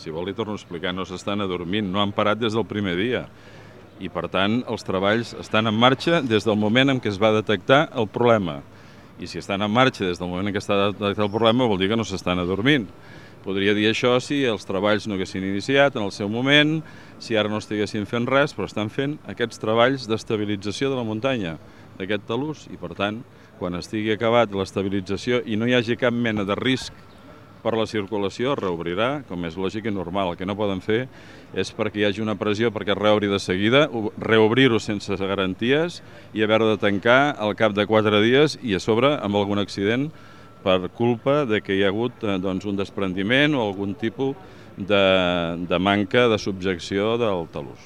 Si vol li torno a explicar, no s'estan adormint, no han parat des del primer dia. I per tant els treballs estan en marxa des del moment en què es va detectar el problema. I si estan en marxa des del moment en què està detectat el problema vol dir que no s'estan adormint. Podria dir això si els treballs no haguessin iniciat en el seu moment, si ara no estiguessin fent res, però estan fent aquests treballs d'estabilització de la muntanya, d'aquest talús, i per tant, quan estigui acabat l'estabilització i no hi hagi cap mena de risc per la circulació, es reobrirà, com és lògic i normal. El que no poden fer és perquè hi hagi una pressió perquè es reobri de seguida, reobrir-ho sense garanties i haver de tancar al cap de 4 dies i a sobre amb algun accident per culpa de que hi ha hagut un desprendiment o algun tipus de manca de subjecció del talús.